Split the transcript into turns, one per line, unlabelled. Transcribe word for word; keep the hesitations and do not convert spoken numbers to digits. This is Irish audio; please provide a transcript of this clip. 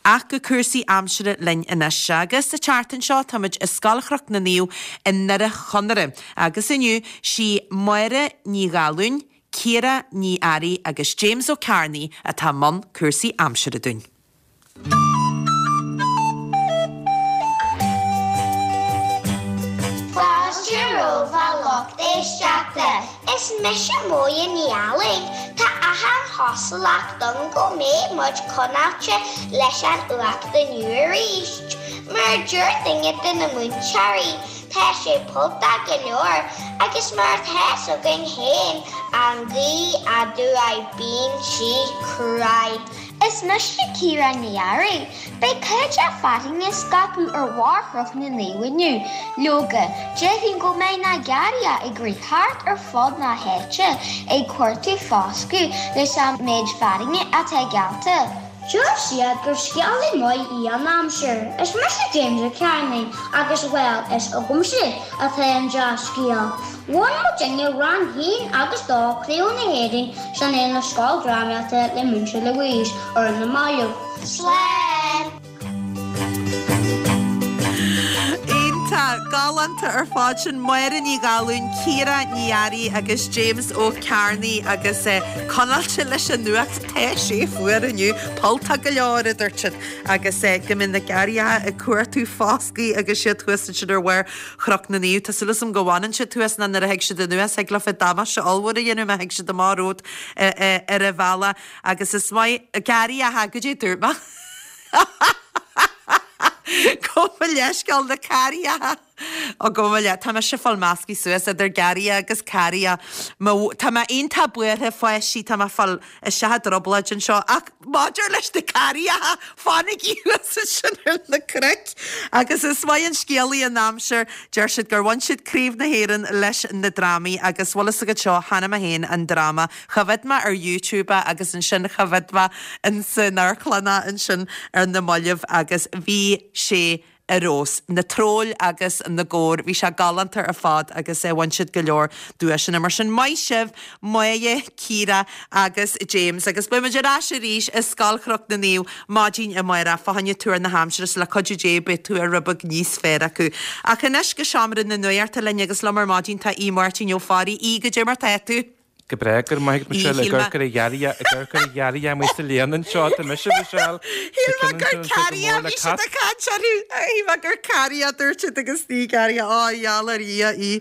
Ach go cúrsaí aimsire linn anois agus sa tseachtain seo táimid i Scoil Chnoc na Naomh i nDoire Chonaire agus inniu sí Máire Ní Dhalúin, Ciara Ní Fhearraigh agus James Ó Cearnaigh atá i mbun cúrsaí aimsire dúinn.
Fáilte romhaibh a lucht éisteachta. Is mise Máire Ní Fhearraigh. Tá achan chosúlacht ann go mbeidh muid conáilte leis an fhuacht inniu arís. Mar a deir duine de na múinteoirí, tá sé polltach go leor agus mar atá 'fhios againn féin, an ghaoth aduaidh bíonn sí cruaidh. Is mise Ciara Ní Fhearraigh. Beidh cuid de fearthainn ag scaipeadh ar bharr Chnoc na Naomh inniu. Leoga, déarfainn go mbeidh na garraithe ag rith thart ar fud na háite ag cuartú foscadh leis an méid fearthainne atá geallta. Deir siad gur scéalaí maith í an aimsir. Is mise James Ó Cearnaigh agus, bhuel, is agamsa atá an dea-scéal. Bhain muidinne rang haon agus dó Craobh na hÉireann san Fhéile Scoil Drámaíochta le Múinteoir Louise ar na mallaibh. Slán!
Iontach, galánta ar fad sin Máire Ní Dhalúin, Ciara Ní Fhearraigh agus James Ó Cearnaigh agus conáilte leis an fhuacht tá sé fuar inniu, polltach go leor a dúirt siad agus go mbeidh na garraithe ag cuartú foscaidh agus siad thuas ansin ar bharr Chnoc na Naomh. Tá súil agam go bhfanann siad thuas ná nuair a thig siad anuas thig leofa damáiste ollmhór a dhéanamh má thig siad amach romhat ar an bhealach agus is maith garraithe goidé dúirt mé. Gabh mo leithscéal na carraithe Ó gabh mo leith tá mise ag fáil measctha suas idir garraithe agus carraithe. Tá mé iontach buartha fáistí tá mé ag fáil isteach i dtrioblóid anseo ach maidir leis na carraithe fanaigí thuas ansin ar na cnoic agus is maith an scéalaí an aimsir deir siad gur bhain siad Craobh na hÉireann leis na drámaí agus bhfuil fhios agat seo chonaic mé féin an dráma Choimhéad mé ar YouTube é agus ansin choimhéad mé insan amharclann é ansin ar na mallaibh agus bhí sé ar fheabhas. Na troill agus na gabhair, bhí sé galánta ar fad agus bhain siad go leor duaiseanna. Mar sin, maith sibh, Máire, Ciara agus James agus beidh muid ar ais arís i Scoil Chnoc na Naomh maidin amárach fá choinne tuar na haimsire is le cuidiú Dé beidh tuar rud beag níos fearr acu. Ach anois go seomra na nuachta linn agus liom ar maidin tá Aodh Máirtín Ó Fearraigh. Aodh, goidé mar tá tú?
Go breá, go raibh maith agat Michelle, ag amharc ar an ghearraidhe, ag amharc ar an ghearraidhe amuigh sa léana anseo, tá mise Michelle,
Shíl mé gur carraidhe a bhí siad ag caint orthu, shíl mé gur carraidhe a dúirt siad agus ní garraidhe, á gheall ar Dhia í.